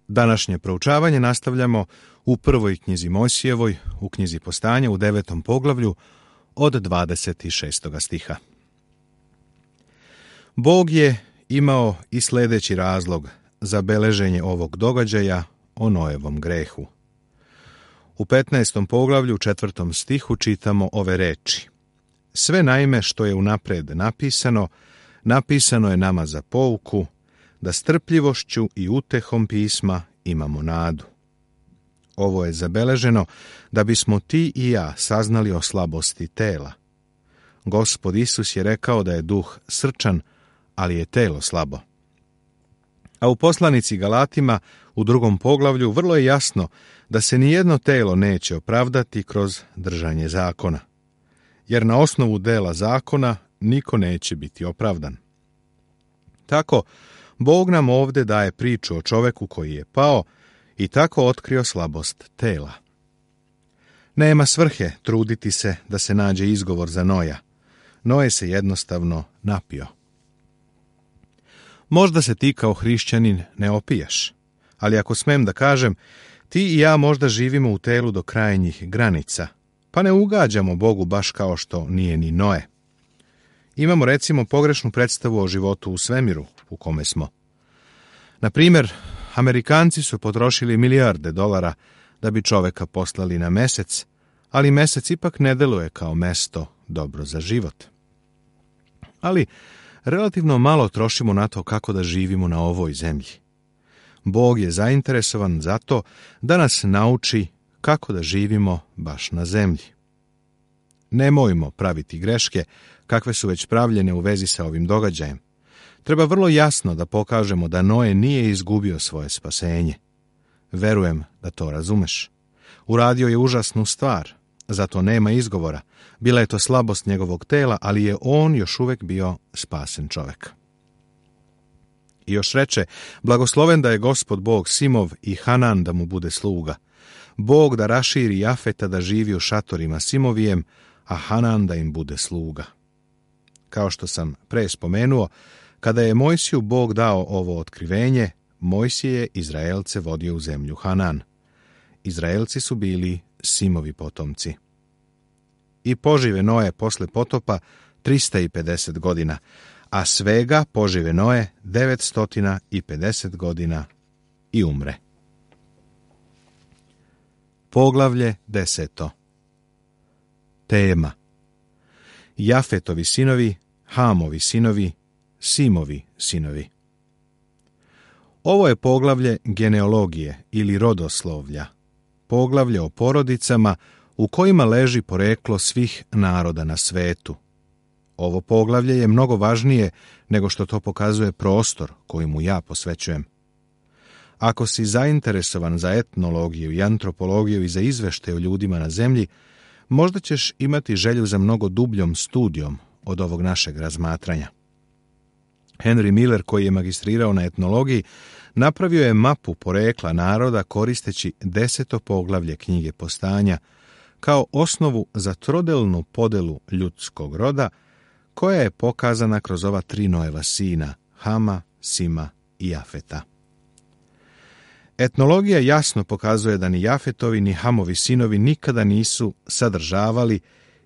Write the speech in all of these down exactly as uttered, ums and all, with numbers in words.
Današnje proučavanje nastavljamo u prvoj knjizi Mojsijevoj, u knjizi Postanja, u devetom poglavlju, od dvadeset šestog stiha. Bog je imao i sljedeći razlog za beleženje ovog događaja o Noevom grehu. U petnaestom poglavlju, četvrtom stihu, čitamo ove reči. Sve naime što je unapred napisano, napisano je nama za pouku, da strpljivošću i utehom pisma imamo nadu. Ovo je zabeleženo da bismo ti i ja saznali o slabosti tela. Gospod Isus je rekao da je duh srčan, ali je telo slabo. A u poslanici Galatima u drugom poglavlju vrlo je jasno da se nijedno telo neće opravdati kroz držanje zakona. Jer na osnovu dela zakona niko neće biti opravdan. Tako, Bog nam ovdje daje priču o čoveku koji je pao i tako otkrio slabost tela. Nema svrhe truditi se da se nađe izgovor za Noja. Noe se jednostavno napio. Možda se ti kao hrišćanin ne opijaš, ali ako smem da kažem, ti i ja možda živimo u telu do krajnjih granica, pa ne ugađamo Bogu baš kao što nije ni Noe. Imamo recimo pogrešnu predstavu o životu u svemiru u kome smo. Na primjer, Amerikanci su potrošili milijarde dolara da bi čoveka poslali na mesec, ali mesec ipak ne deluje kao mesto dobro za život. Ali relativno malo trošimo na to kako da živimo na ovoj zemlji. Bog je zainteresovan za to da nas nauči kako da živimo baš na zemlji. Nemojmo praviti greške kakve su već pravljene u vezi sa ovim događajem. Treba vrlo jasno da pokažemo da Noe nije izgubio svoje spasenje. Verujem da to razumeš. Uradio je užasnu stvar, zato nema izgovora. Bila je to slabost njegovog tela, ali je on još uvijek bio spasen čovjek. I još reče, blagosloven da je Gospod Bog Simov i Hanan da mu bude sluga. Bog da raširi Jafeta da živi u šatorima Simovijem, a Hanan da im bude sluga. Kao što sam pre spomenuo, kada je Mojsiju Bog dao ovo otkrivenje, Mojsije je Izraelce vodio u zemlju Hanan. Izraelci su bili Simovi potomci. I požive Noe posle potopa trista pedeset godina, a svega požive Noe devetsto pedeset godina i umre. Poglavlje deseto. Tema. Jafetovi sinovi, Hamovi sinovi, Simovi sinovi. Ovo je poglavlje genealogije ili rodoslovlja, poglavlje o porodicama u kojima leži poreklo svih naroda na svetu. Ovo poglavlje je mnogo važnije nego što to pokazuje prostor koji mu ja posvećujem. Ako si zainteresovan za etnologiju i antropologiju i za izvešte o ljudima na zemlji, možda ćeš imati želju za mnogo dubljom studijom od ovog našeg razmatranja. Henry Miller, koji je magistrirao na etnologiji, napravio je mapu porekla naroda koristeći deseto poglavlje knjige Postanja kao osnovu za trodelnu podelu ljudskog roda, koja je pokazana kroz ova tri Noeva sina, Hama, Sima i Jafeta. Etnologija jasno pokazuje da ni Jafetovi ni Hamovi sinovi nikada nisu sadržavali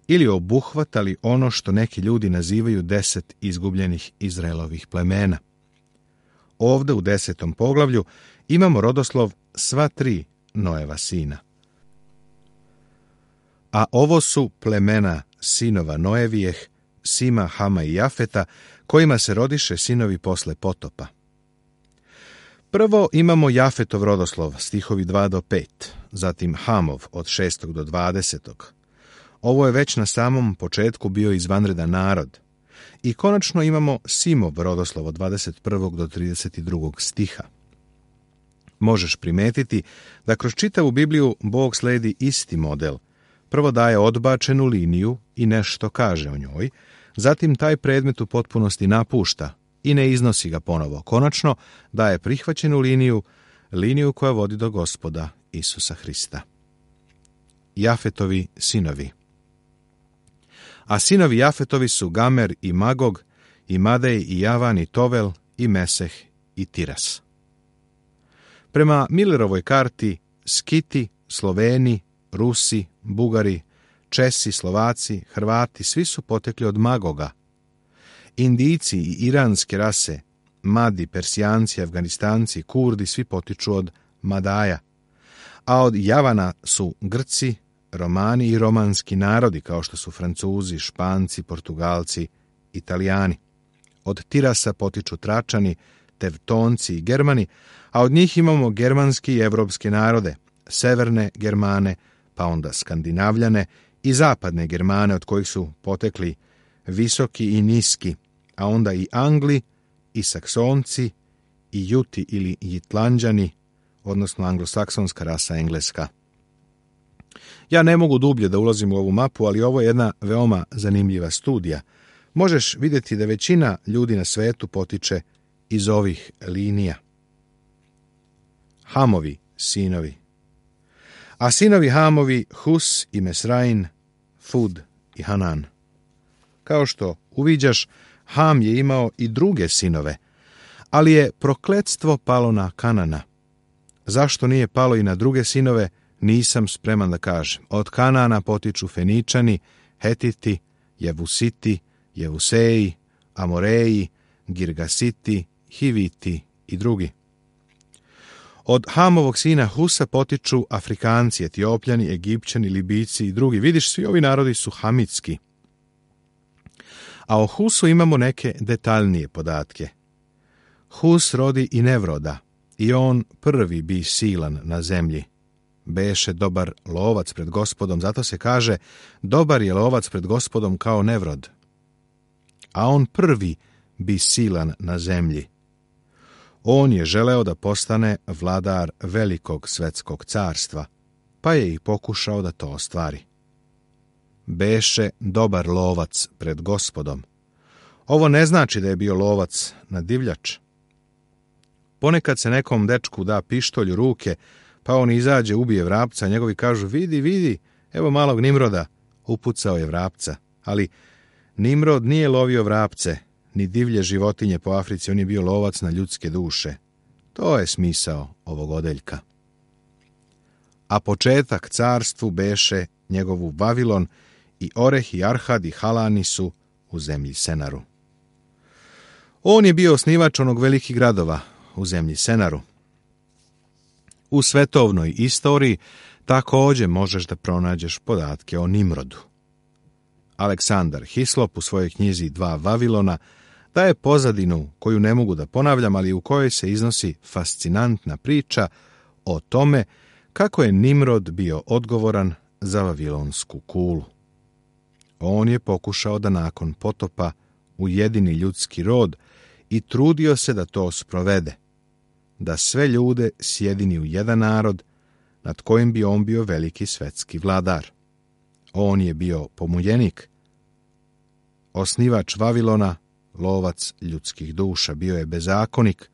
ili obuhvatali ono što neki ljudi nazivaju deset izgubljenih Izraelovih plemena. Ovde u desetom poglavlju imamo rodoslov sva tri Noeva sina. A ovo su plemena sinova Noevijeh, Sima, Hama i Jafeta, kojima se rodiše sinovi posle potopa. Prvo imamo Jafetov rodoslov, stihovi dva do pet, zatim Hamov od šestog do dvadesetog. Ovo je već na samom početku bio izvanredan narod. I konačno imamo Simov rodoslov od dvadeset prvog do trideset drugog stiha. Možeš primetiti da kroz čitavu Bibliju Bog sledi isti model. Prvo daje odbačenu liniju i nešto kaže o njoj, zatim taj predmet u potpunosti napušta i ne iznosi ga ponovo. Konačno daje prihvaćenu liniju, liniju koja vodi do Gospoda Isusa Hrista. Jafetovi sinovi. A sinovi Jafetovi su Gamer i Magog, i Madej, i Javan, i Tovel, i Meseh, i Tiras. Prema Millerovoj karti, Skiti, Sloveni, Rusi, Bugari, Česi, Slovaci, Hrvati, svi su potekli od Magoga. Indijci i iranske rase, Madi, Persijanci, Afganistanci, Kurdi, svi potiču od Madaja. A od Javana su Grci, Romani i romanski narodi, kao što su Francuzi, Španci, Portugalci, Italijani. Od Tirasa potiču Tračani, Tevtonci i Germani, a od njih imamo germanski i evropske narode, severne Germane, pa onda Skandinavljane i zapadne Germane, od kojih su potekli visoki i niski, a onda i Angli, i Saksonci, i Juti ili Jitlanđani, odnosno anglosaksonska rasa engleska. Ja ne mogu dublje da ulazim u ovu mapu, ali ovo je jedna veoma zanimljiva studija. Možeš vidjeti da većina ljudi na svetu potiče iz ovih linija. Hamovi, sinovi. A sinovi Hamovi, Hus i Mesrain, Fud i Hanan. Kao što uviđaš, Ham je imao i druge sinove, ali je prokletstvo palo na Kanana. Zašto nije palo i na druge sinove, nisam spreman da kažem. Od Kanana potiču Feničani, Hetiti, Jevusiti, Jevuseji, Amoreji, Girgasiti, Hiviti i drugi. Od Hamovog sina Husa potiču Afrikanci, Etiopljani, Egipćani, Libijci i drugi. Vidiš, svi ovi narodi su hamitski. A o Husu imamo neke detaljnije podatke. Hus rodi i Nevroda, i on prvi bi silan na zemlji. Beše dobar lovac pred Gospodom, zato se kaže dobar je lovac pred Gospodom kao Nevrod. A on prvi bi silan na zemlji. On je želeo da postane vladar velikog svetskog carstva, pa je i pokušao da to ostvari. Beše dobar lovac pred Gospodom. Ovo ne znači da je bio lovac na divljač. Ponekad se nekom dečku da pištolj u ruke, pa on izađe, ubije vrapca, a njegovi kažu, vidi, vidi, evo malog Nimroda, upucao je vrapca. Ali Nimrod nije lovio vrapce, ni divlje životinje po Africi, on je bio lovac na ljudske duše. To je smisao ovog odeljka. A početak carstvu beše njegovu Vavilon, i Oreh i Arhad i Halani su u zemlji Senaru. On je bio osnivač onog velikih gradova u zemlji Senaru. U svetovnoj istoriji također možeš da pronađeš podatke o Nimrodu. Aleksandar Hislop u svojoj knjizi Dva Vavilona daje pozadinu koju ne mogu da ponavljam, ali u kojoj se iznosi fascinantna priča o tome kako je Nimrod bio odgovoran za vavilonsku kulu. On je pokušao da nakon potopa ujedini ljudski rod i trudio se da to sprovede, da sve ljude sjedini u jedan narod nad kojim bi on bio veliki svetski vladar. On je bio pomuljenik, osnivač Vavilona, lovac ljudskih duša, bio je bezakonik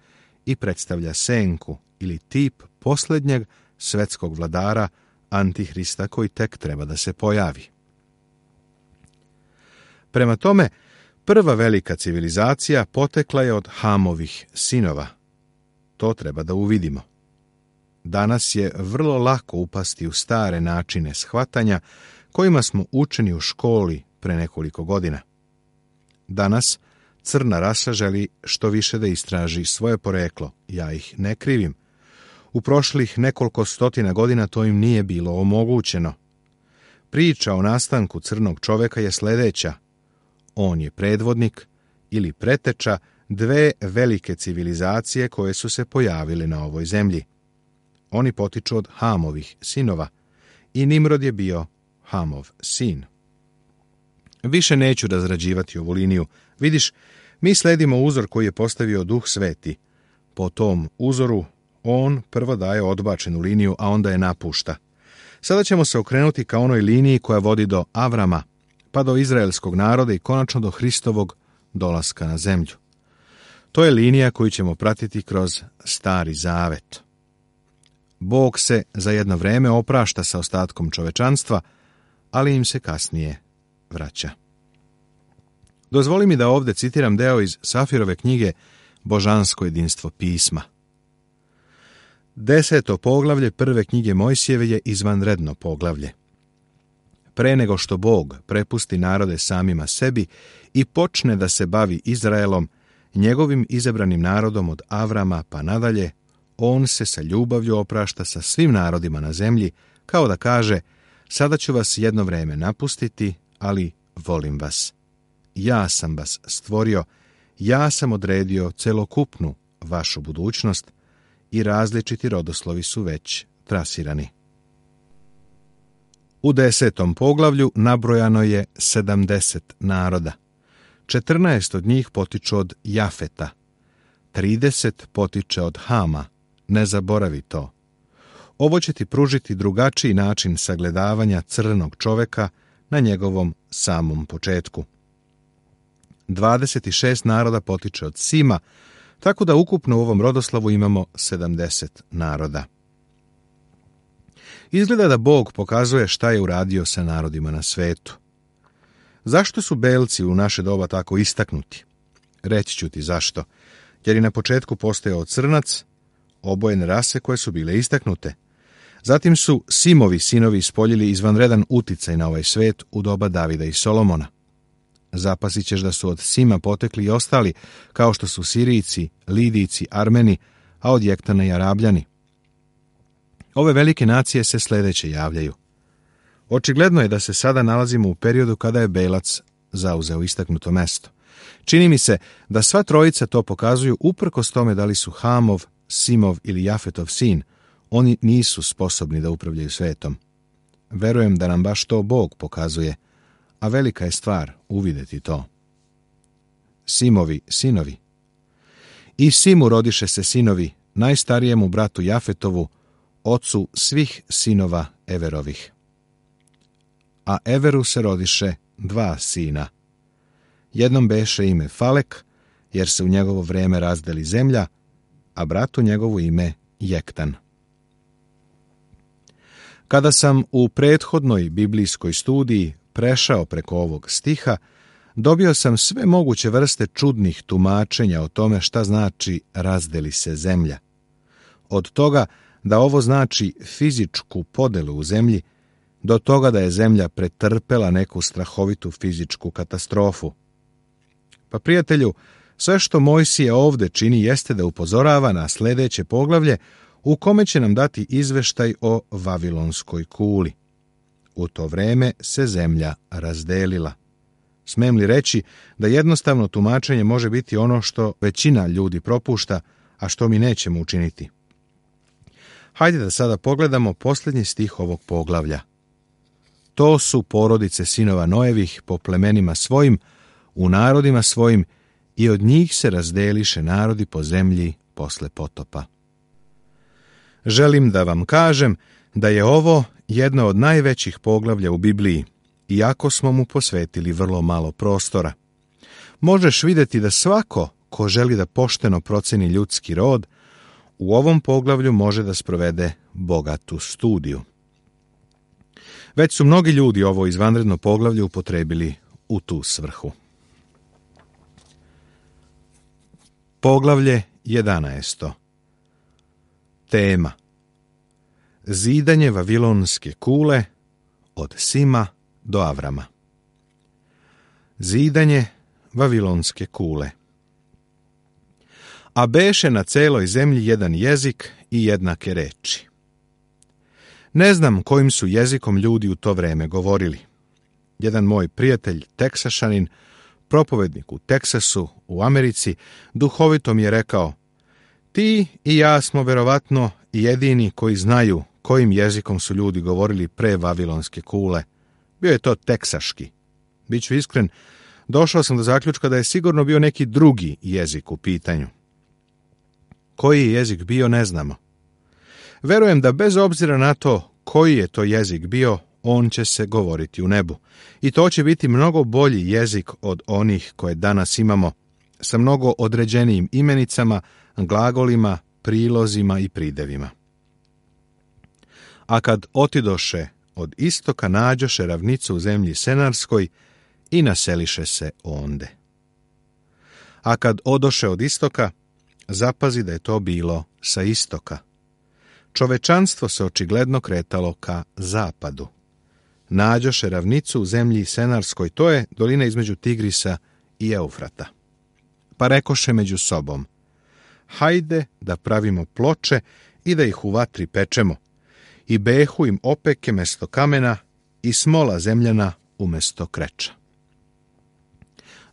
i predstavlja senku ili tip posljednjeg svetskog vladara, Antihrista, koji tek treba da se pojavi. Prema tome, prva velika civilizacija potekla je od Hamovih sinova. To treba da uvidimo. Danas je vrlo lako upasti u stare načine shvatanja kojima smo učeni u školi pre nekoliko godina. Danas crna rasa želi što više da istraži svoje poreklo. Ja ih ne krivim. U prošlih nekoliko stotina godina to im nije bilo omogućeno. Priča o nastanku crnog čoveka je sljedeća. On je predvodnik ili preteča dve velike civilizacije koje su se pojavile na ovoj zemlji. Oni potiču od Hamovih sinova i Nimrod je bio Hamov sin. Više neću razrađivati ovu liniju. Vidiš, mi sledimo uzor koji je postavio Duh Sveti. Po tom uzoru on prvo daje odbačenu liniju, a onda je napušta. Sada ćemo se okrenuti ka onoj liniji koja vodi do Avrama, pa do izraelskog naroda i konačno do Hristovog dolaska na zemlju. To je linija koju ćemo pratiti kroz Stari Zavet. Bog se za jedno vreme oprašta sa ostatkom čovečanstva, ali im se kasnije vraća. Dozvoli mi da ovdje citiram deo iz Safirove knjige Božansko jedinstvo pisma. Deseto poglavlje prve knjige Mojsijeve je izvanredno poglavlje. Pre nego što Bog prepusti narode samima sebi i počne da se bavi Izraelom, njegovim izabranim narodom od Avrama pa nadalje, on se sa ljubavlju oprašta sa svim narodima na zemlji, kao da kaže: sada ću vas jedno vreme napustiti, ali volim vas. Ja sam vas stvorio, ja sam odredio celokupnu vašu budućnost i različiti rodoslovi su već trasirani. U desetom poglavlju nabrojano je sedamdeset naroda. četrnaest od njih potiču od Jafeta, trideset potiče od Hama, ne zaboravi to. Ovo će ti pružiti drugačiji način sagledavanja crnog čoveka na njegovom samom početku. dvadeset šest naroda potiče od Sima, tako da ukupno u ovom rodoslovu imamo sedamdeset naroda. Izgleda da Bog pokazuje šta je uradio sa narodima na svetu. Zašto su belci u naše doba tako istaknuti? Reći ću ti zašto. Jer je na početku postojao crnac, obojene rase koje su bile istaknute. Zatim su Simovi sinovi ispoljili izvanredan uticaj na ovaj svet u doba Davida i Solomona. Zapasit ćeš da su od Sima potekli i ostali, kao što su Sirijci, Lidijci, Armeni, a od Jektana i Arabljani. Ove velike nacije se sledeće javljaju. Očigledno je da se sada nalazimo u periodu kada je Belac zauzeo istaknuto mesto. Čini mi se da sva trojica to pokazuju uprkos tome da li su Hamov, Simov ili Jafetov sin, oni nisu sposobni da upravljaju svetom. Verujem da nam baš to Bog pokazuje, a velika je stvar uvideti to. Simovi sinovi. I Simu rodiše se sinovi, najstarijemu bratu Jafetovu, ocu svih sinova Everovih. A Everu se rodiše dva sina. Jednom beše ime Falek, jer se u njegovo vreme razdeli zemlja, a bratu njegovu ime Jektan. Kada sam u prethodnoj biblijskoj studiji prešao preko ovog stiha, dobio sam sve moguće vrste čudnih tumačenja o tome šta znači razdeli se zemlja. Od toga da ovo znači fizičku podelu u zemlji, do toga da je zemlja pretrpela neku strahovitu fizičku katastrofu. Pa prijatelju, sve što Mojsije ovde čini jeste da upozorava na sledeće poglavlje u kome će nam dati izveštaj o Vavilonskoj kuli. U to vreme se zemlja razdelila. Smem li reći da jednostavno tumačenje može biti ono što većina ljudi propušta, a što mi nećemo učiniti? Hajde da sada pogledamo posljednji stih ovog poglavlja. To su porodice sinova Noevih po plemenima svojim, u narodima svojim, i od njih se razdeliše narodi po zemlji posle potopa. Želim da vam kažem da je ovo jedno od najvećih poglavlja u Bibliji, iako smo mu posvetili vrlo malo prostora. Možeš vidjeti da svako ko želi da pošteno proceni ljudski rod, u ovom poglavlju može da sprovede bogatu studiju. Već su mnogi ljudi ovo izvanredno poglavlje upotrebili u tu svrhu. Poglavlje jedanaesto. Tema: zidanje Vavilonske kule od Sima do Avrama. Zidanje Vavilonske kule. A beše na celoj zemlji jedan jezik i jednake reči. Ne znam kojim su jezikom ljudi u to vreme govorili. Jedan moj prijatelj, Teksašanin, propovednik u Teksasu, u Americi, duhovito mi je rekao: ti i ja smo verovatno jedini koji znaju kojim jezikom su ljudi govorili pre Vavilonske kule. Bio je to teksaški. Biću iskren, došao sam do zaključka da je sigurno bio neki drugi jezik u pitanju. Koji je jezik bio, ne znamo. Verujem da bez obzira na to koji je to jezik bio, on će se govoriti u nebu. I to će biti mnogo bolji jezik od onih koje danas imamo, sa mnogo određenijim imenicama, glagolima, prilozima i pridevima. A kad otidoše od istoka, nađoše ravnicu u zemlji Senarskoj i naseliše se onde. A kad odoše od istoka, zapazi da je to bilo sa istoka. čovečanstvo se očigledno kretalo ka zapadu. Nađoše ravnicu u zemlji Senarskoj, to je dolina između Tigrisa i Eufrata. Pa rekoše među sobom: hajde da pravimo ploče i da ih u vatri pečemo, i behu im opeke mesto kamena i smola zemljana umesto kreča.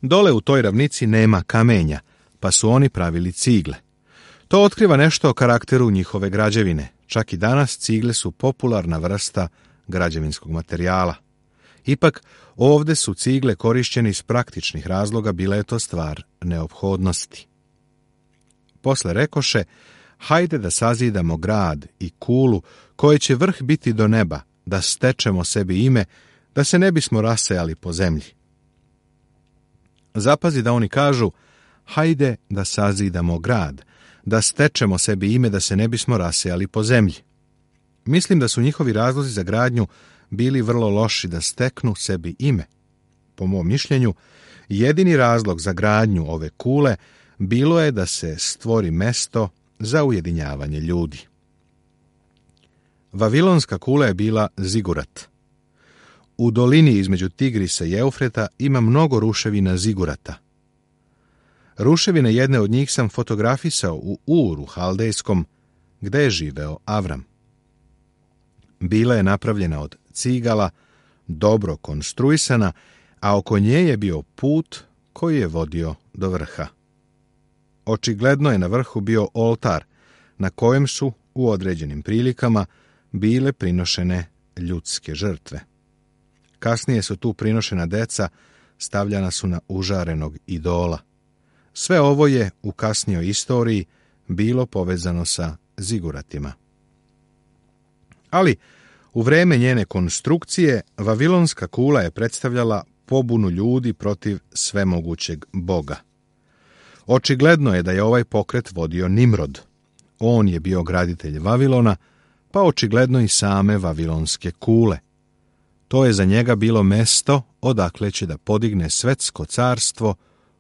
Dole u toj ravnici nema kamenja, pa su oni pravili cigle. To otkriva nešto o karakteru njihove građevine. Čak i danas cigle su popularna vrsta građevinskog materijala. Ipak, ovde su cigle korišćene iz praktičnih razloga, bila je to stvar neophodnosti. Posle rekoše: hajde da sazidamo grad i kulu, koje će vrh biti do neba, da stečemo sebi ime, da se ne bismo rasejali po zemlji. Zapazi da oni kažu: hajde da sazidamo grad, da stečemo sebi ime, da se ne bismo rasejali po zemlji. Mislim da su njihovi razlozi za gradnju bili vrlo loši, da steknu sebi ime. Po mom mišljenju, jedini razlog za gradnju ove kule bilo je da se stvori mesto za ujedinjavanje ljudi. Vavilonska kula je bila zigurat. U dolini između Tigrisa i Eufrata ima mnogo ruševina zigurata. Ruševine jedne od njih sam fotografisao u Uru Haldejskom, gde je živeo Avram. Bila je napravljena od cigala, dobro konstruisana, a oko nje je bio put koji je vodio do vrha. Očigledno je na vrhu bio oltar, na kojem su u određenim prilikama bile prinošene ljudske žrtve. Kasnije su tu prinošena deca, stavljana su na užarenog idola. Sve ovo je u kasnijoj istoriji bilo povezano sa ziguratima. Ali, u vreme njene konstrukcije, Vavilonska kula je predstavljala pobunu ljudi protiv svemogućeg Boga. Očigledno je da je ovaj pokret vodio Nimrod. On je bio graditelj Vavilona, pa očigledno i same Vavilonske kule. To je za njega bilo mesto odakle će da podigne svetsko carstvo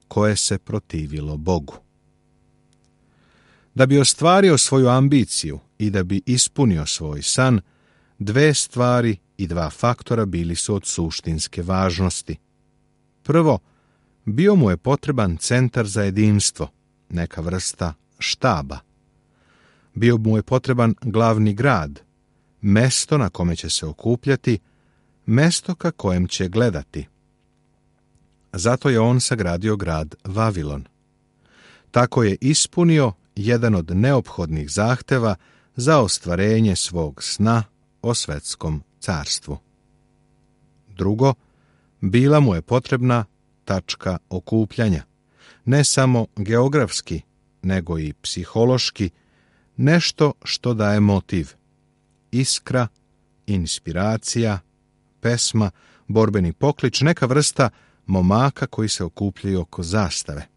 koje se protivilo Bogu. Da bi ostvario svoju ambiciju i da bi ispunio svoj san, dve stvari i dva faktora bili su od suštinske važnosti. Prvo, bio mu je potreban centar za jedinstvo, neka vrsta štaba. Bio mu je potreban glavni grad, mesto na kome će se okupljati, mesto ka kojem će gledati. Zato je on sagradio grad Vavilon. Tako je ispunio jedan od neophodnih zahteva za ostvarenje svog sna o svetskom carstvu. Drugo, bila mu je potrebna tačka okupljanja, ne samo geografski, nego i psihološki, nešto što daje motiv, iskra, inspiracija, pesma, borbeni poklič, neka vrsta momaka koji se okupljaju oko zastave.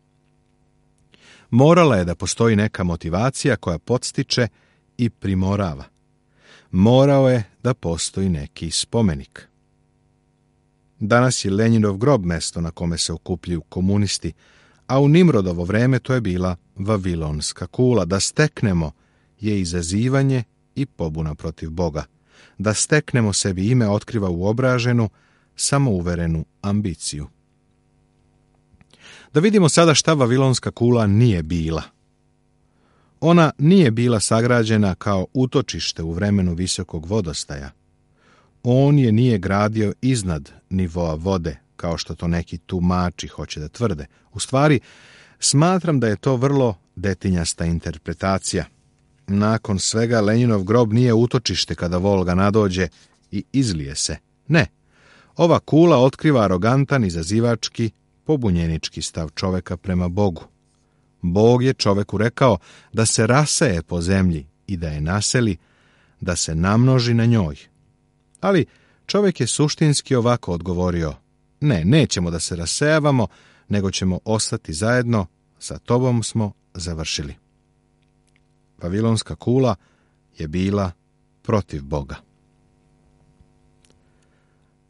Morala je da postoji neka motivacija koja podstiče i primorava. Morao je da postoji neki spomenik. Danas je Lenjinov grob mesto na kome se okupljaju komunisti, a u Nimrodovo vreme to je bila Vavilonska kula. Da steknemo je izazivanje i pobuna protiv Boga. Da steknemo sebi ime otkriva uobraženu, samouverenu ambiciju. Da vidimo sada šta Vavilonska kula nije bila. Ona nije bila sagrađena kao utočište u vremenu visokog vodostaja. On je nije gradio iznad nivoa vode, kao što to neki tumači hoće da tvrde. U stvari, smatram da je to vrlo detinjasta interpretacija. Nakon svega, Lenjinov grob nije utočište kada Volga nadođe i izlije se. Ne, ova kula otkriva arogantan, izazivački, pobunjenički stav čoveka prema Bogu. Bog je čoveku rekao da se raseje po zemlji i da je naseli, da se namnoži na njoj. Ali čovek je suštinski ovako odgovorio: ne, nećemo da se rasejavamo, nego ćemo ostati zajedno, sa tobom smo završili. Vavilonska kula je bila protiv Boga.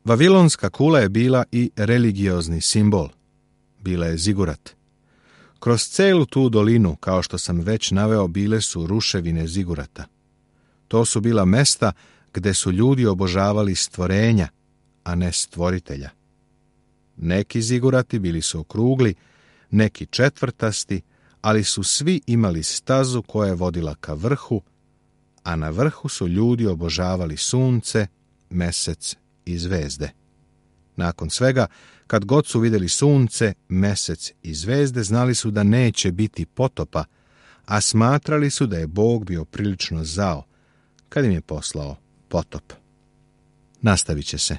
Vavilonska kula je bila i religiozni simbol. Bila je zigurat. Kroz celu tu dolinu, kao što sam već naveo, bile su ruševine zigurata. To su bila mesta gde su ljudi obožavali stvorenja, a ne stvoritelja. Neki zigurati bili su okrugli, neki četvrtasti, ali su svi imali stazu koja je vodila ka vrhu, a na vrhu su ljudi obožavali sunce, mesec i zvezde. Nakon svega, kad god su vidjeli sunce, mesec i zvezde, znali su da neće biti potopa, a smatrali su da je Bog bio prilično zao kad im je poslao potop. Nastavit će se.